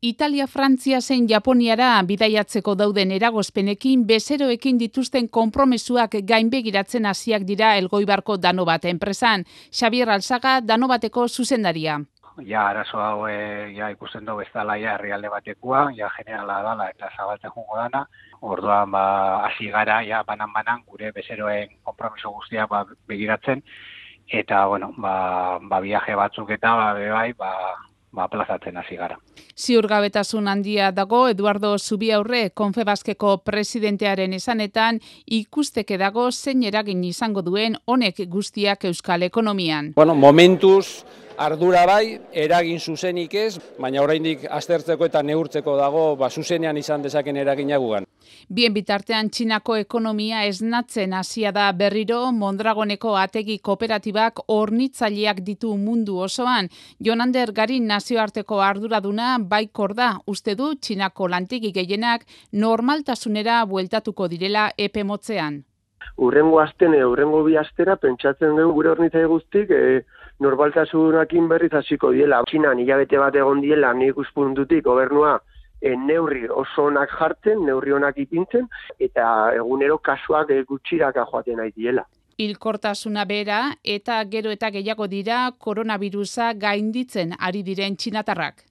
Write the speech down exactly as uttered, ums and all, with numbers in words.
Italia, Frantzia zein Japoniara bidaiatzeko dauden eragozpenekin bezeroekin dituzten konpromesuak gainbegiratzen hasiak dira Elgoibarko Danobat enpresan. Xabier Alzaga, Danobateko zuzendaria. Ja, arazo hau e, ja, ikusten dugu ez dala ja herrialde batekoa, ja generala dala eta zabaltzen jungo dana. Orduan, ba, hasi gara, ja, banan-banan gure bezeroen konpromiso guztiak ba, begiratzen. Eta, bueno, ba, ba viaje batzuk eta ba, bai, ba, ba, plazatzen hasi gara. Ziurgabetasun handia dago Eduardo Zubiaurre Konfebaskeko presidentearen esanetan ikusteke dago zein eragin izango duen honek guztiak euskal ekonomian. Bueno, momentuz ardura bai, eragin zuzenik ez, baina oraindik aztertzeko eta neurtzeko dago ba, zuzenean izan dezaken eragina gugan. Bien bitartean Txinako ekonomia esnatzen hasia da berriro. Mondragoneko ategi kooperatibak hornitzaileak ditu mundu osoan. Jonander Garin nazioarteko arduraduna baikor da, uste du Txinako lantegi gehienak normaltasunera bueltatuko direla epe motzean. Urrengo asten, urrengo bi astera pentsatzen dugu gure hornitzaile guztik e, normaltasunakin berriz hasiko diela. Txinan hilabete bat egon diela nik ikuspuntutik gobernua e, neurri oso onak jartzen, neurri onak ipintzen, eta egunero kasuak e, gutxiraka joaten nahi diela. Hilkortasuna bera eta gero eta gehiago dira koronabirusa gainditzen ari diren txinatarrak.